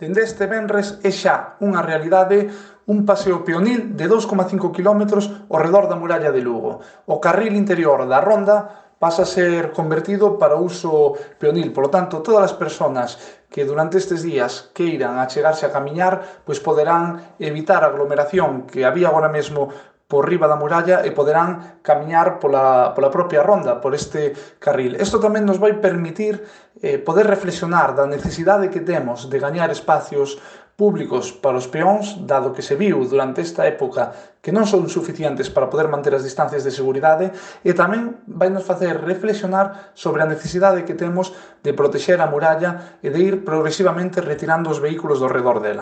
Dende este venres é xa unha realidade un paseo peonil de 2,5 km ao redor da muralla de Lugo. O carril interior da ronda pasa a ser convertido para uso peonil. Por lo tanto, todas as persoas que durante estes días queiran achegarse a camiñar, pois poderán evitar a aglomeración que había agora mesmo por riba da muralla e poderán camiñar pola propia ronda, por este carril. Isto tamén nos vai permitir poder reflexionar da necesidade que temos de gañar espacios públicos para os peóns, dado que se viu durante esta época que non son suficientes para poder manter as distancias de seguridade, e tamén vai nos facer reflexionar sobre a necesidade que temos de protexer a muralla e de ir progresivamente retirando os vehículos do redor dela.